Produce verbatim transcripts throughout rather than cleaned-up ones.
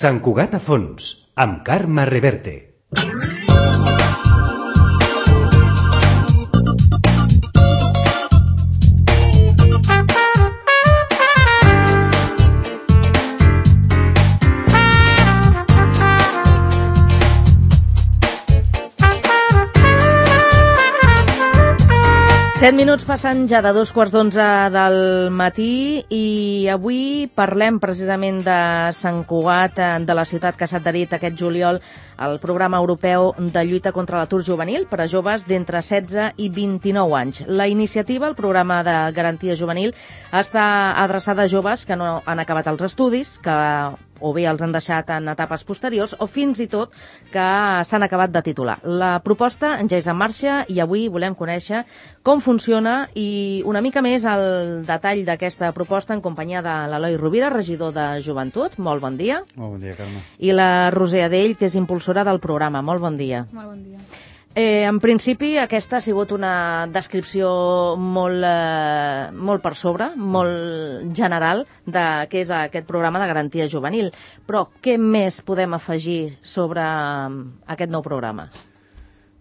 Sant Cugat a fons, amb Carme Reverte. Set minuts passen ja de dos quarts d'onze del matí i avui parlem precisament de Sant Cugat, de la ciutat que s'ha adherit aquest juliol al programa europeu de lluita contra l'atur juvenil per a joves d'entre setze i vint-i-nou anys. La iniciativa, el programa de garantia juvenil, està adreçada a joves que no han acabat els estudis, que o bé els han deixat en etapes posteriors o fins i tot que s'han acabat de titular. La proposta ja és en marxa i avui volem conèixer com funciona i una mica més el detall d'aquesta proposta en companyia de l'Eloi Rovira, regidor de Joventut. Molt bon dia. Molt bon dia, Carme. I la Roser Adell, que és impulsora del programa. Molt bon dia. Molt bon dia. Eh, en principi, aquesta ha sigut una descripció molt, eh, molt per sobre, molt general de què és aquest programa de garantia juvenil. Però què més podem afegir sobre aquest nou programa?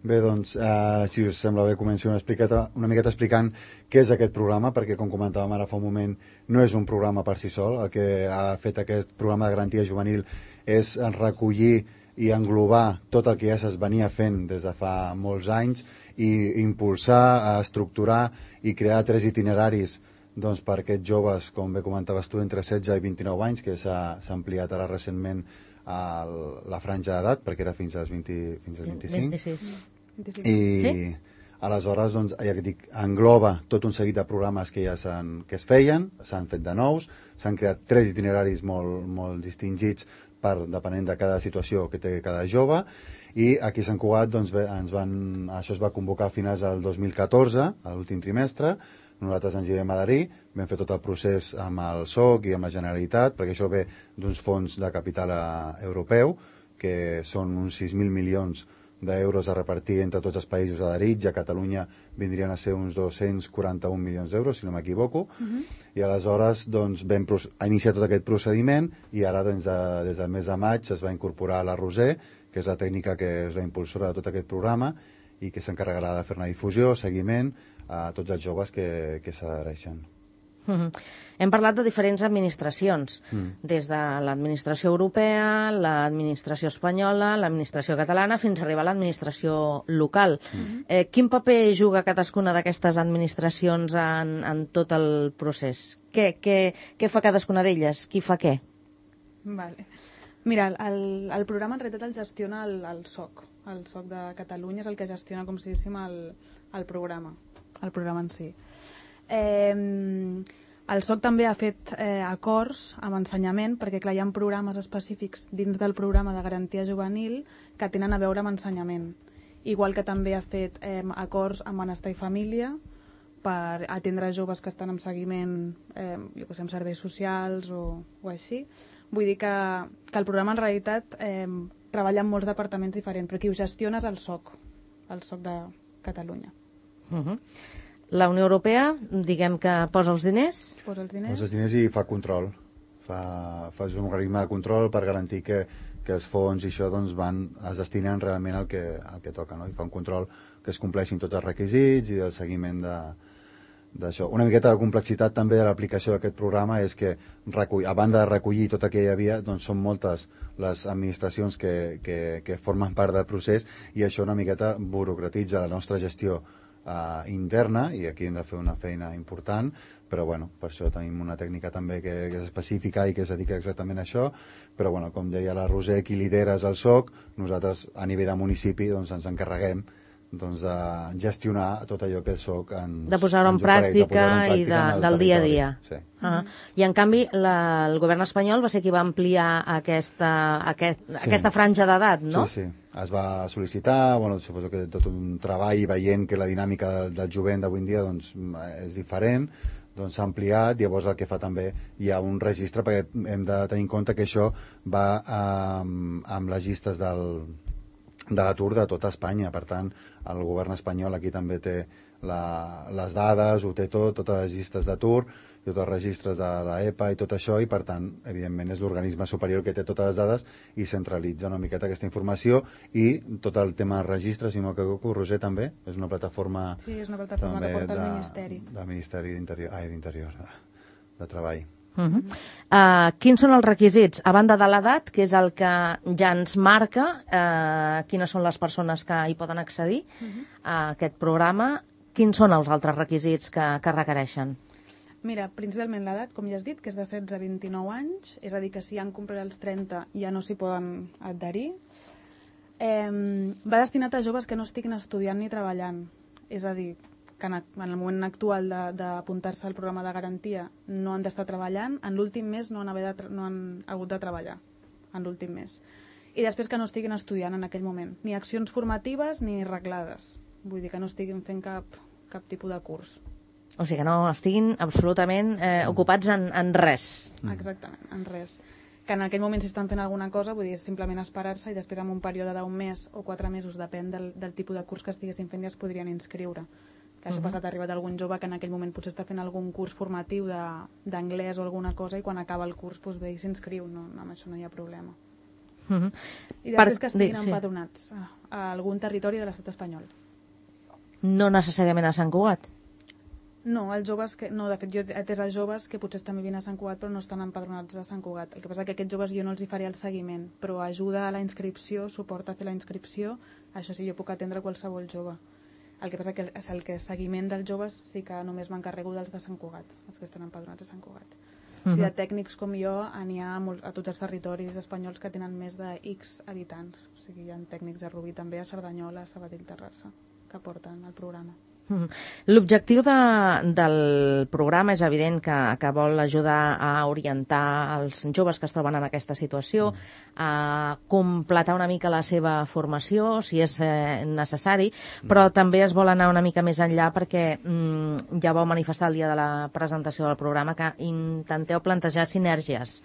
Bé, doncs, eh, si us sembla bé, començo una, una miqueta explicant què és aquest programa, perquè, com comentàvem ara fa un moment, no és un programa per si sol. El que ha fet aquest programa de garantia juvenil és recollir i englobar tot el que ja es venia fent des de fa molts anys i impulsar, estructurar i crear tres itineraris doncs, per aquests joves, com bé comentaves tu, entre setze i vint-i-nou anys, que s'ha ampliat ara recentment a la franja d'edat, perquè era fins als, vint, fins als vint-i-cinc. vint-i-sis. I sí? aleshores doncs, ja que dic, engloba tot un seguit de programes que ja que es feien, s'han fet de nous, s'han creat tres itineraris molt, molt distingits per, depenent de cada situació que té cada jove, i aquí a Sant Cugat doncs, bé, ens van, això es va convocar a finals del dos mil catorze, a l'últim trimestre. Nosaltres ens hi vam adherir, vam fer tot el procés amb el S O C i amb la Generalitat, perquè això ve d'uns fons de capital europeu, que són uns sis mil milions d'euros a repartir entre tots els països adherits, i a Catalunya vindrien a ser uns dos-cents quaranta-un milions d'euros, si no m'equivoco, uh-huh. I aleshores doncs, vam iniciar tot aquest procediment, i ara doncs, de, des del mes de maig es va incorporar la Roser, que és la tècnica que és la impulsora de tot aquest programa i que s'encarregarà de fer una difusió, seguiment a tots els joves que, que s'adhereixen. Uh-huh. Hem parlat de diferents administracions, mm. des de l'administració europea, l'administració espanyola, l'administració catalana, fins a arribar a l'administració local. Mm. Eh, quin paper juga cadascuna d'aquestes administracions en, en tot el procés? Què, què, què fa cadascuna d'elles? Qui fa què? Vale. Mira, el, el programa en realitat el gestiona el, el S O C. El S O C de Catalunya és el que gestiona, com si diguéssim, el, el programa, el programa en si. Eh, el S O C també ha fet eh, acords amb ensenyament, perquè clar, hi ha programes específics dins del programa de garantia juvenil que tenen a veure amb ensenyament, igual que també ha fet eh, acords amb benestar i família per atendre joves que estan en seguiment, eh, jo que sé, amb serveis socials o, o així. Vull dir que, que el programa en realitat eh, treballa en molts departaments diferents, però qui ho gestiona és el S O C, el S O C de Catalunya. Uh-huh. La Unió Europea, diguem que posa els diners? Posa els diners. Posa els diners i fa control. Fa, fa un organisme de control per garantir que, que els fons i això doncs, van, es destinen realment al que, al que toca, no? I fa un control que es compleixin tots els requisits i el seguiment de, d'això. Una miqueta de complexitat també de l'aplicació d'aquest programa és que, recull, a banda de recollir tot el que hi havia, doncs són moltes les administracions que, que, que formen part del procés, i això una miqueta burocratitza la nostra gestió Uh, interna, i aquí hem de fer una feina important, però bueno, per això tenim una tècnica també que, que és específica i que es dedica exactament a això, però bueno, com deia la Roser, qui lidera és el S O C, nosaltres a nivell de municipi doncs, ens encarreguem doncs, de gestionar tot allò que el S O C ens, de posar-ho en pràctica i de, del dia a dia. Sí. Uh-huh. I en canvi la, el govern espanyol va ser qui va ampliar aquesta, aquest, sí. aquesta franja d'edat, no? Sí, sí. Es va sol·licitar, bueno, suposo que tot un treball veient que la dinàmica del, del jovent d'avui en dia doncs, és diferent, doncs s'ha ampliat. Llavors el que fa també hi ha un registre, perquè hem de tenir en compte que això va amb, amb les llistes del, de l'atur de tota Espanya. Per tant, el govern espanyol aquí també té la, les dades, ho té tot, totes les llistes d'atur, i tots els registres de l'E P A i tot això, i per tant, evidentment, és l'organisme superior que té totes les dades i centralitza una miqueta aquesta informació, i tot el tema de registres, si m'equivoco, Roser, també és una plataforma... Sí, és una plataforma que porta el Ministeri. Del Ministeri d'Interior, ai, d'Interior, de, de Treball. Uh -huh. uh, quins són els requisits? A banda de l'edat, que és el que ja ens marca uh, quines són les persones que hi poden accedir uh -huh. a aquest programa, quins són els altres requisits que, que requereixen? Mira, principalment l'edat, com ja has dit, que és de setze a vint-i-nou anys, és a dir, que si han complert els trenta ja no s'hi poden adherir. Eh, va destinat a joves que no estiguin estudiant ni treballant, és a dir, que en el moment actual d'apuntar-se al programa de garantia no han d'estar treballant, en l'últim mes no han, haver de, no han hagut de treballar, en l'últim mes. I després que no estiguin estudiant en aquell moment, ni accions formatives ni reglades, vull dir que no estiguin fent cap, cap tipus de curs. O sigui que no estiguin absolutament eh, ocupats en, en res. Exactament, en res. Que en aquell moment si estan fent alguna cosa, vull dir, és simplement esperar-se i després en un període d'un mes o quatre mesos, depèn del, del tipus de curs que estiguessin fent, ja es podrien inscriure. Que això uh -huh. passat ha arribat algun jove que en aquell moment potser està fent algun curs formatiu d'anglès o alguna cosa i quan acaba el curs doncs ve i s'inscriu, no, amb això no hi ha problema. Uh -huh. I després per... que estiguin sí, empadronats sí. a, a algun territori de l'estat espanyol. No necessàriament a Sant Cugat? No, els joves que, no, de fet jo he atès a joves que potser estan vivint a Sant Cugat però no estan empadronats a Sant Cugat. El que passa és que aquests joves jo no els hi faré el seguiment, però ajuda a la inscripció, suporta a fer la inscripció, això sí, jo puc atendre qualsevol jove. El que passa que és el que seguiment dels joves sí que només m'encarrego dels de Sant Cugat, els que estan empadronats a Sant Cugat. Uh -huh. O sigui, de tècnics com jo n'hi ha a tots els territoris espanyols que tenen més de X habitants. O sigui, hi ha tècnics a Rubí també, a Cerdanyola, a Sabadell, Terrassa, que porten el programa. L'objectiu de, del programa és evident que, que vol ajudar a orientar els joves que es troben en aquesta situació, a completar una mica la seva formació, si és eh, necessari, però també es vol anar una mica més enllà perquè mm, ja vau manifestar el dia de la presentació del programa que intenteu plantejar sinergies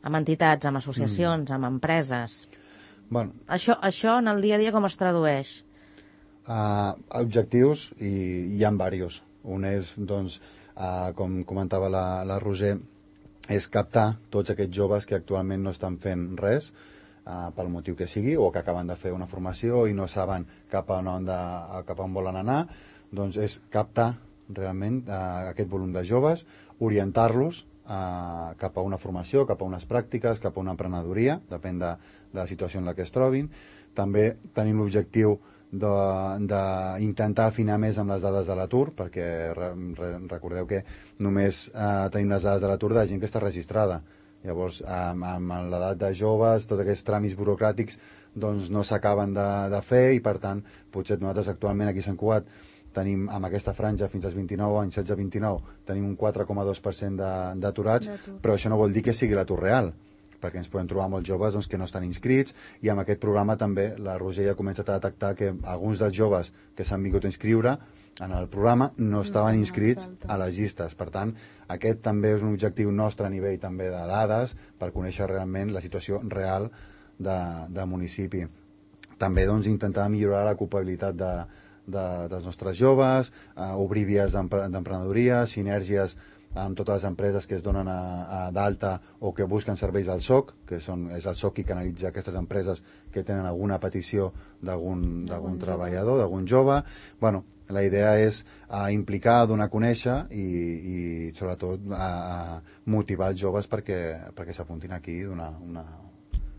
amb entitats, amb associacions, mm. amb empreses. Bueno. Això, això en el dia a dia com es tradueix? Uh, objectius, i hi ha diversos. Un és, doncs, uh, com comentava la, la Roser, és captar tots aquests joves que actualment no estan fent res, uh, pel motiu que sigui, o que acaben de fer una formació i no saben cap a on, de, cap a on volen anar. Doncs és captar realment uh, aquest volum de joves, orientar-los uh, cap a una formació, cap a unes pràctiques, cap a una emprenedoria, depèn de, de la situació en la que es trobin. També tenim l'objectiu d'intentar afinar més amb les dades de l'atur, perquè re, re, recordeu que només eh, tenim les dades de l'atur de gent que està registrada. Llavors, amb, amb l'edat de joves, tots aquests tràmits burocràtics doncs, no s'acaben de, de fer, i per tant, potser nosaltres actualment aquí a Sant Cugat tenim amb aquesta franja fins als vint-i-nou anys, setze a vint-i-nou, tenim un quatre coma dos per cent d'aturats, però això no vol dir que sigui l'atur real, perquè ens podem trobar molts joves doncs, que no estan inscrits, i amb aquest programa també la Roser ja ha començat a detectar que alguns dels joves que s'han vingut a inscriure en el programa no estaven inscrits a les llistes. Per tant, aquest també és un objectiu nostre a nivell també de dades per conèixer realment la situació real de, del municipi. També doncs, intentar millorar l'ocupabilitat de, de, dels nostres joves, eh, obrir vies d'emprenedoria, sinergies amb totes les empreses que es donen a, a d'alta o que busquen serveis al S O C, que són, és el S O C qui canalitza aquestes empreses que tenen alguna petició d'algun treballador, d'algun jove. Bueno, la idea és a implicar, a donar a conèixer i, i sobretot a, a motivar els joves perquè, perquè s'apuntin aquí d'una una,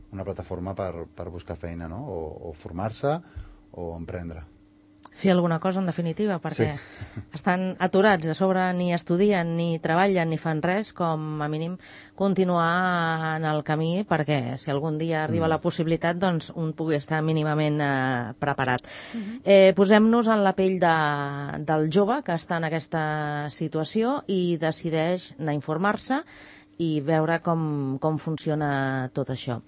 una plataforma per, per buscar feina, no? o, o formar-se o emprendre. Fer alguna cosa, en definitiva, perquè sí. estan aturats, a sobre ni estudien, ni treballen, ni fan res, com a mínim continuar en el camí, perquè si algun dia arriba mm. la possibilitat, doncs un pugui estar mínimament eh, preparat. Mm-hmm. eh, Posem-nos en la pell de, del jove que està en aquesta situació i decideix anar a informar-se i veure com, com funciona tot això.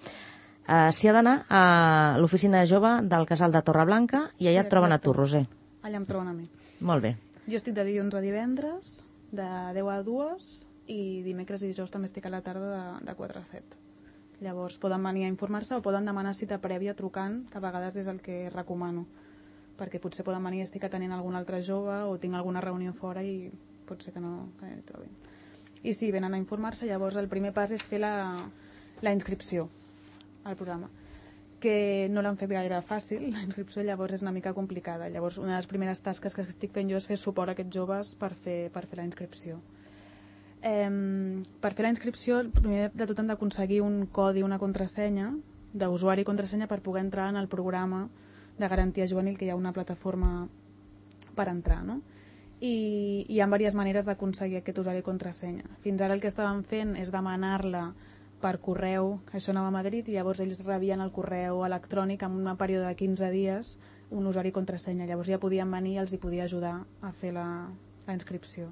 Uh, S'hi ha d'anar a l'oficina de jove del Casal de Torreblanca i allà sí, et troben a tu, Roser. Allà em troben a mi. Molt bé. Jo estic de dilluns a divendres, de deu a dues, i dimecres i dijous també estic a la tarda de, de quatre a set. Llavors poden venir a informar-se o poden demanar cita prèvia trucant, que a vegades és el que recomano, perquè potser poden venir i estic atenent algun altre jove o tinc alguna reunió fora i pot ser que no, que no hi trobin. I sí, venen a informar-se, llavors el primer pas és fer la, la inscripció al programa, que no l'han fet gaire fàcil, la inscripció llavors és una mica complicada. Llavors una de les primeres tasques que estic fent jo és fer suport a aquests joves per fer, per fer la inscripció. Eh, per fer la inscripció, primer de tot hem d'aconseguir un codi, una contrasenya d'usuari i contrasenya per poder entrar en el programa de garantia juvenil, que hi ha una plataforma per entrar, no? I hi ha diverses maneres d'aconseguir aquest usuari i contrasenya. Fins ara el que estàvem fent és demanar-la per correu, això anava a Madrid, i llavors ells rebien el correu electrònic en un període de quinze dies un usuari i contrasenya. Llavors ja podien venir i els hi podia ajudar a fer la, la inscripció.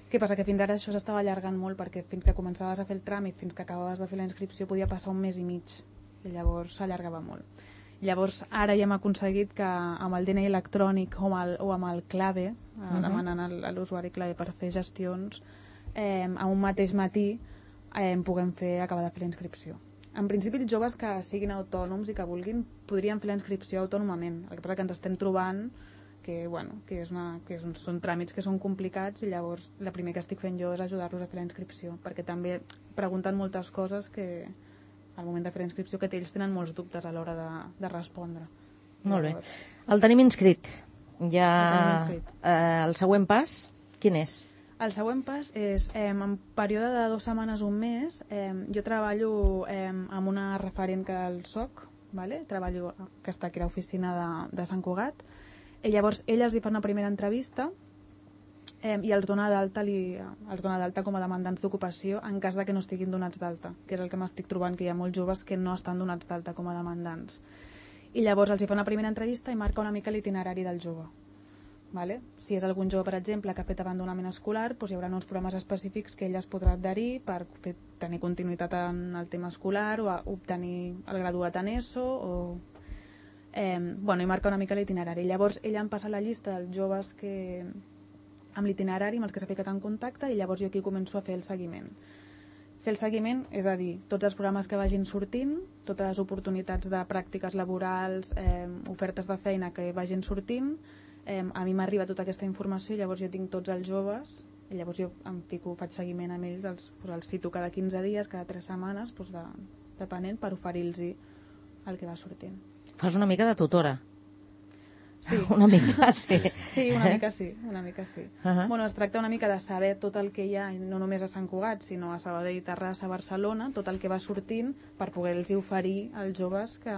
Què passa? Que fins ara això s'estava allargant molt, perquè fins que començaves a fer el tràmit, fins que acabaves de fer la inscripció, podia passar un mes i mig, i llavors s'allargava molt. Llavors ara ja hem aconseguit que amb el D N I electrònic o amb el, o amb el clave, uh-huh. demanant a l'usuari clave per fer gestions, eh, a un mateix matí eh, puguem fer, acabar de fer la inscripció. En principi els joves que siguin autònoms i que vulguin podrien fer la inscripció autònomament. El que passa que ens estem trobant que, bueno, que, és una, que és un, són tràmits que són complicats, i llavors el primer que estic fent jo és ajudar-los a fer la inscripció, perquè també pregunten moltes coses que al moment de fer la inscripció, que ells tenen molts dubtes a l'hora de, de respondre. Molt bé. El tenim inscrit. Ja... El tenim inscrit. Eh, el següent pas, quin és? El següent pas és, eh, en període de dues setmanes o un mes, eh, jo treballo eh, amb una referent que el soc, vale? Treballo, que està aquí a l'oficina de, de Sant Cugat, i llavors ella els hi fa una primera entrevista eh, i els dona d'alta li, els dona d'alta com a demandants d'ocupació en cas de que no estiguin donats d'alta, que és el que m'estic trobant, que hi ha molts joves que no estan donats d'alta com a demandants. I llavors els hi fa una primera entrevista i marca una mica l'itinerari del jove. Vale? Si és algun jove, per exemple, que ha fet abandonament escolar, doncs hi haurà uns programes específics que ell es podrà adherir per fer, tenir continuïtat en el tema escolar o obtenir el graduat en ESO o... Eh, bueno, i marca una mica l'itinerari. Llavors ella em passa la llista dels joves que amb l'itinerari amb els que s'ha ficat en contacte, i llavors jo aquí començo a fer el seguiment. Fer el seguiment, és a dir, tots els programes que vagin sortint, totes les oportunitats de pràctiques laborals, eh, ofertes de feina que vagin sortint, eh, a mi m'arriba tota aquesta informació, llavors jo tinc tots els joves, i llavors jo em fico, faig seguiment amb ells, els, doncs els cito cada quinze dies, cada tres setmanes, doncs de, depenent, per oferir-los el que va sortint. Fas una mica de tutora. Sí. Una mica, sí. Sí, una mica sí, una mica sí. Uh-huh. Bueno, es tracta una mica de saber tot el que hi ha, no només a Sant Cugat, sinó a Sabadell, Terrassa, Barcelona, tot el que va sortint per poder-los oferir als joves que,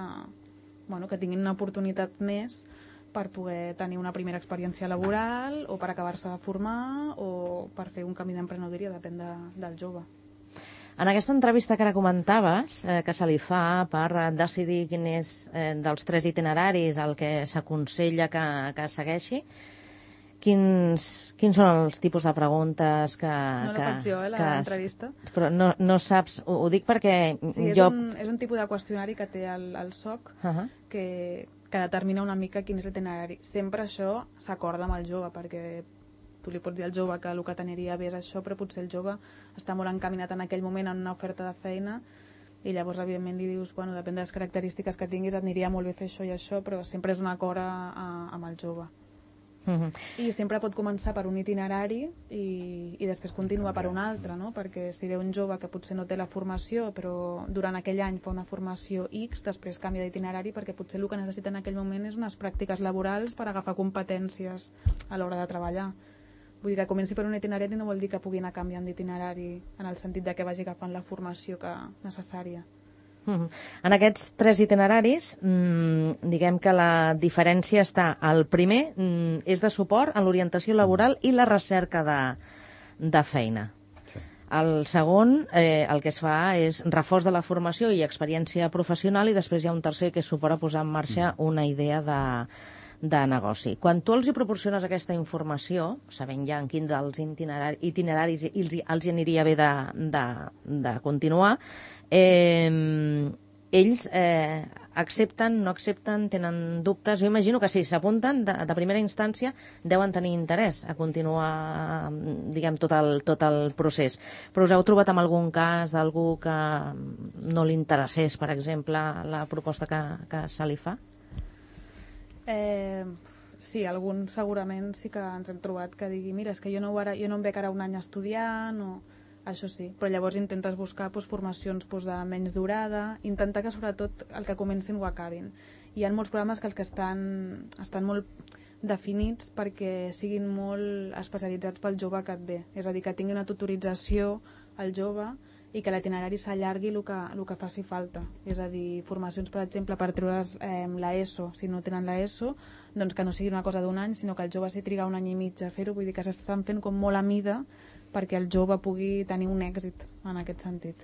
bueno, que tinguin una oportunitat més per poder tenir una primera experiència laboral o per acabar-se de formar o per fer un camí d'emprenedoria, depèn de, del jove. En aquesta entrevista que ara comentaves, eh, que se li fa per eh, decidir quin és eh, dels tres itineraris el que s'aconsella que, que segueixi, quins, quins són els tipus de preguntes que... No la que, faig jo, eh, l'entrevista. Però no, no saps, ho, ho dic perquè sí, és jo... Un, és un tipus de qüestionari que té el, el soc, uh-huh. que, que determina una mica quin és l'itinerari. Sempre això s'acorda amb el jove, perquè tu li pots dir al jove que el que t'aniria bé és això, però potser el jove està molt encaminat en aquell moment en una oferta de feina, i llavors evidentment li dius, bueno, depèn de les característiques que tinguis, et aniria molt bé fer això i això, però sempre és un acord a, a, amb el jove. Uh-huh. I sempre pot començar per un itinerari i, i després continuar per un altre, no? Perquè si ve un jove que potser no té la formació, però durant aquell any fa una formació X, després canvia d'itinerari perquè potser el que necessita en aquell moment és unes pràctiques laborals per agafar competències a l'hora de treballar. Vull dir que comenci per un itinerari no vol dir que pugui anar canviant d'itinerari en el sentit de que vagi agafant la formació que necessària. Uh-huh. En aquests tres itineraris, mmm, diguem que la diferència està, el primer mmm, és de suport en l'orientació laboral i la recerca de, de feina. Sí. El segon, eh, el que es fa és reforç de la formació i experiència professional, i després hi ha un tercer que és suport a posar en marxa una idea de de negoci. Quan tu els hi proporciones aquesta informació, sabent ja en quin dels itineraris, itineraris els, els hi aniria bé de, de, de continuar, eh, ells eh, accepten, no accepten, tenen dubtes? Jo imagino que si s'apunten de, de primera instància deuen tenir interès a continuar, diguem, tot el, tot el procés. Però us heu trobat amb algun cas d'algú que no li interessés, per exemple, la proposta que, que se li fa? Eh, sí, algun segurament sí que ens hem trobat que digui, mira, és que jo no, ara, jo no em veig ara un any estudiant, o... això sí, però llavors intentes buscar doncs, formacions doncs, de menys durada, intentar que sobretot el que comencin ho acabin. Hi ha molts programes que els que estan, estan molt definits perquè siguin molt especialitzats pel jove que et ve, és a dir, que tingui una tutorització al jove i que l'itinerari s'allargui el que, el que faci falta. És a dir, formacions, per exemple, per treure's eh, l'ESO, si no tenen l'ESO, doncs que no sigui una cosa d'un any, sinó que el jove s'hi triga un any i mig a fer-ho, vull dir que s'estan fent com molt a mida perquè el jove pugui tenir un èxit en aquest sentit.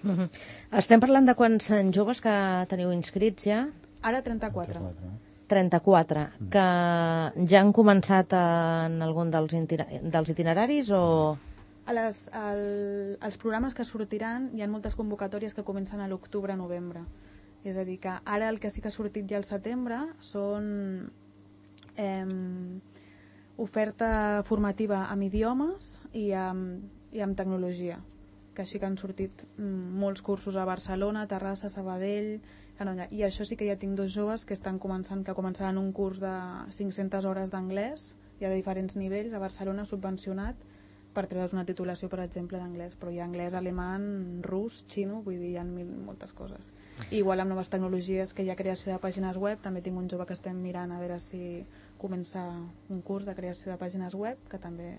Mm-hmm. Estem parlant de quants joves que teniu inscrits ja? Ara trenta-quatre. trenta-quatre, que ja han començat en algun dels, dels itineraris o... A les, el, els programes que sortiran hi ha moltes convocatòries que comencen a l'octubre-novembre. És a dir, que ara el que sí que ha sortit ja al setembre són eh, oferta formativa amb idiomes i amb, i amb tecnologia, que així que han sortit mm, molts cursos a Barcelona, Terrassa, Sabadell, Canolla. I això sí que ja tinc dos joves que estan començant, que començaran un curs de cinc-centes hores d'anglès, hi ha de diferents nivells, a Barcelona subvencionat, per treure's una titulació, per exemple, d'anglès, però hi ha anglès, alemany, rus, xino, vull dir, hi ha mil, moltes coses. I igual amb noves tecnologies, que hi ha creació de pàgines web, també tinc un jove que estem mirant a veure si comença un curs de creació de pàgines web, que també,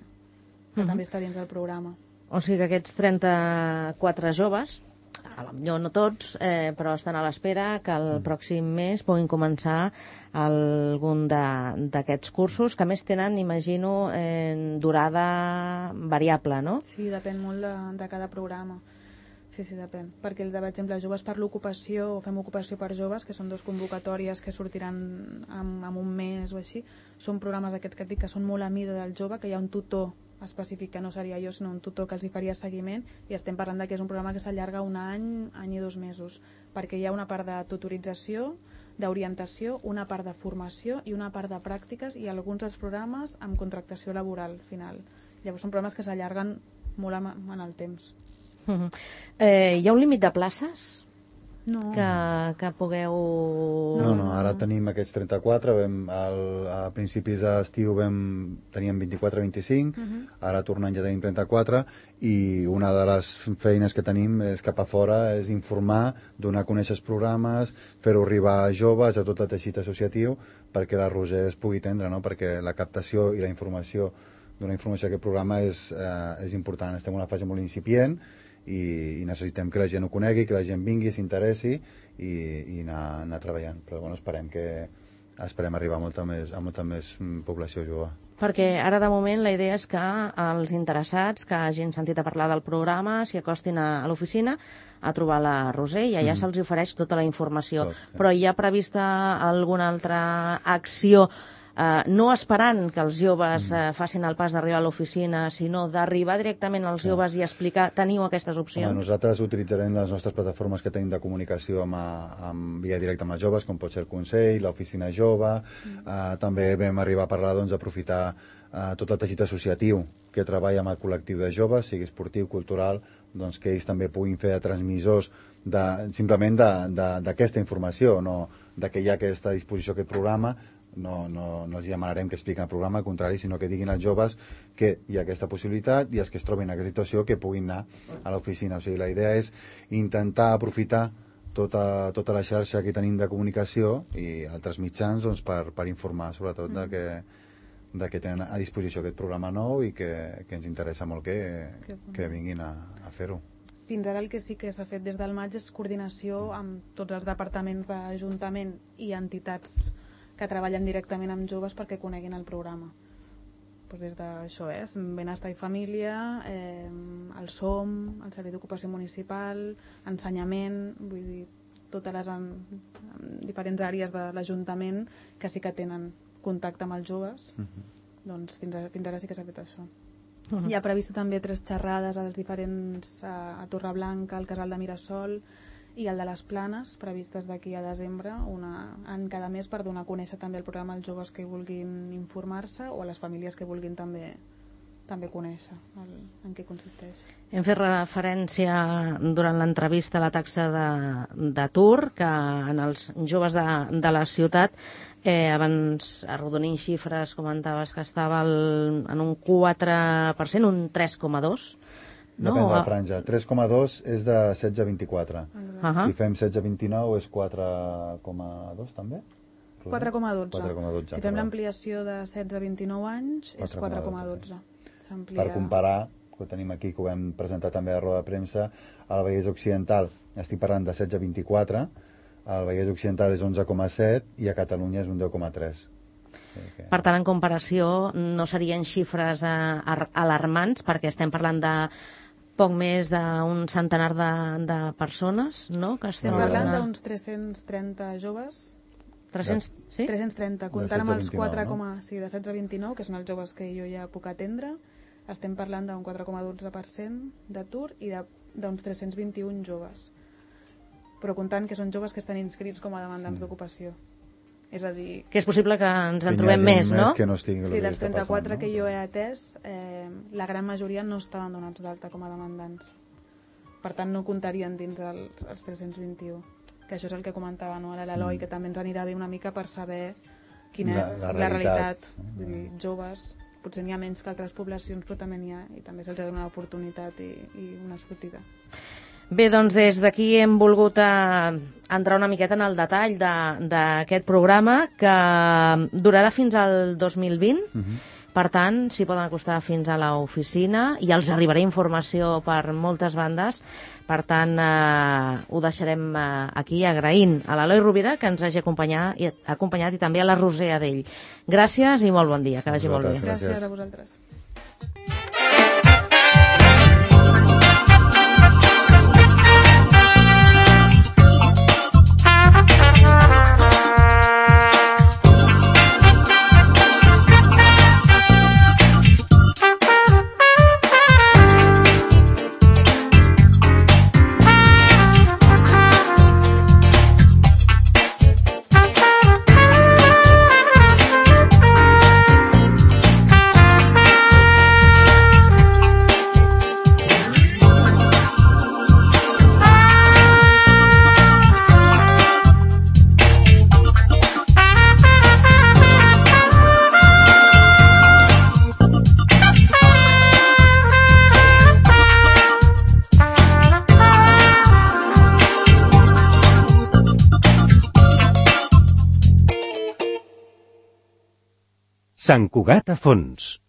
que uh-huh. també està dins del programa. O sigui que aquests trenta-quatre joves, potser no tots, eh, però estan a l'espera que el pròxim mes puguin començar algun d'aquests cursos, que a més tenen, imagino, eh, durada variable, no? Sí, depèn molt de, de cada programa. Sí, sí, depèn. Perquè, per exemple, Joves per l'Ocupació, o Fem Ocupació per Joves, que són dos convocatòries que sortiran en, en un mes o així, són programes aquests que et dic que són molt a mida del jove, que hi ha un tutor específic que no seria jo, sinó un tutor que els hi faria seguiment, i estem parlant de que és un programa que s'allarga un any, any i dos mesos, perquè hi ha una part de tutorització, d'orientació, una part de formació i una part de pràctiques, i alguns dels programes amb contractació laboral final. Llavors són programes que s'allarguen molt en el temps. Uh-huh. Eh, hi ha un límit de places? No. Que, que pugueu... No, no, ara tenim aquests trenta-quatre, vam, al, a principis d'estiu vam, teníem vint-i-quatre vint-i-cinc, uh-huh. Ara tornant ja tenim trenta-quatre, i una de les feines que tenim és cap a fora, és informar, donar a conèixer els programes, fer-ho arribar a joves, a tot el teixit associatiu, perquè la Roser es pugui atendre, no? Perquè la captació i la informació, donar informació a aquest programa és, eh, és important. Estem en una fase molt incipient, i, i necessitem que la gent ho conegui, que la gent vingui, s'interessi i, i anar, anar treballant, però bueno, esperem que esperem arribar a molta més, a molta més població jove. Perquè ara de moment la idea és que els interessats que hagin sentit a parlar del programa s'hi acostin a, a l'oficina a trobar la Roser i allà mm. se'ls ofereix tota la informació. Tot, sí. Però hi ha prevista alguna altra acció, Uh, no esperant que els joves uh, facin el pas d'arribar a l'oficina, sinó d'arribar directament als joves i explicar, teniu aquestes opcions? Home, nosaltres utilitzarem les nostres plataformes que tenim de comunicació amb, amb via directa amb els joves, com pot ser el Consell, l'Oficina Jove, mm. uh, també vam arribar a parlar doncs, d'aprofitar uh, tot el teixit associatiu que treballa amb el col·lectiu de joves, sigui esportiu, cultural, doncs que ells també puguin fer de transmissors de, simplement d'aquesta informació, no de que hi ha aquesta disposició, aquest programa. No, no, no els demanarem que expliquin el programa, al contrari, sinó que diguin als joves que hi ha aquesta possibilitat i els que es trobin en aquesta situació que puguin anar a l'oficina. O sigui, la idea és intentar aprofitar tota, tota la xarxa que tenim de comunicació i altres mitjans doncs, per, per informar sobretot de que, de que tenen a disposició aquest programa nou i que, que ens interessa molt que, que vinguin a, a fer-ho. Fins ara el que sí que s'ha fet des del maig és coordinació amb tots els departaments d'Ajuntament i entitats que treballen directament amb joves perquè coneguin el programa. Pues des d'això és, Benestar i Família, eh, el SOM, el Servei d'Ocupació Municipal, ensenyament, vull dir, totes les en, en diferents àrees de l'Ajuntament que sí que tenen contacte amb els joves, uh-huh. doncs fins, a, fins ara sí que s'ha fet això. Uh-huh. Hi ha previst també tres xerrades als diferents, a, a Torreblanca, al Casal de Mirasol, i el de les Planes, previstes d'aquí a desembre, una, en cada mes, per donar a conèixer també el programa als joves que vulguin informar-se o a les famílies que vulguin també, també conèixer el, en què consisteix. Hem fet referència durant l'entrevista a la taxa d'atur, que en els joves de, de la ciutat, eh, abans arrodonint xifres, comentaves que estava el, en un quatre per cent, un tres coma dos per cent. no? Depèn de la franja. tres coma dos és de setze a vint-i-quatre. Uh -huh. Si fem setze a vint-i-nou és quatre coma dos també? quatre coma dotze. quatre coma dotze. Si fem l'ampliació de setze a vint-i-nou anys és quatre coma dotze. Per comparar, que ho tenim aquí, que ho hem presentat també a roda de premsa, al Vallès Occidental estic parlant de setze a vint-i-quatre, al Vallès Occidental és onze coma set i a Catalunya és un deu coma tres. Okay. Per tant, en comparació, no serien xifres eh, alarmants, perquè estem parlant de poc més d'un centenar de, de persones, no? Que estem estem parlant una... d'uns tres-cents trenta joves. tres-cents, sí? tres-cents trenta, comptant amb els quatre, no? sí, de setze a vint-i-nou, que són els joves que jo ja puc atendre, estem parlant d'un quatre coma dotze per cent d'atur i d'uns tres-cents vint-i-un joves. Però comptant que són joves que estan inscrits com a demandants mm. d'ocupació. És a dir... Que és possible que ens en trobem més, no? Que no estigui sí, dels trenta-quatre passant, que no? jo he atès, eh, la gran majoria no estaven donats d'alta com a demandants. Per tant, no comptarien dins els, els tres-cents vint-i-u. Que això és el que comentava, no? l'Eloi, mm. que també ens anirà bé una mica per saber quina és la, la, la realitat. Vull dir, joves, potser n'hi ha menys que altres poblacions, però també n'hi ha, i també se'ls ha donat una oportunitat i, i una sortida. Bé, doncs des d'aquí hem volgut eh, entrar una miqueta en el detall d'aquest programa que durarà fins al dos mil vint. Uh-huh. Per tant, s'hi poden acostar fins a l'oficina i els arribarà informació per moltes bandes. Per tant, eh, ho deixarem eh, aquí agraint a l'Eloi Rovira que ens hagi acompanyat i, acompanyat i també a la Roser Adell. Gràcies i molt bon dia, que vagi molt bé. Gràcies, gràcies a vosaltres. Sant Cugat a fons.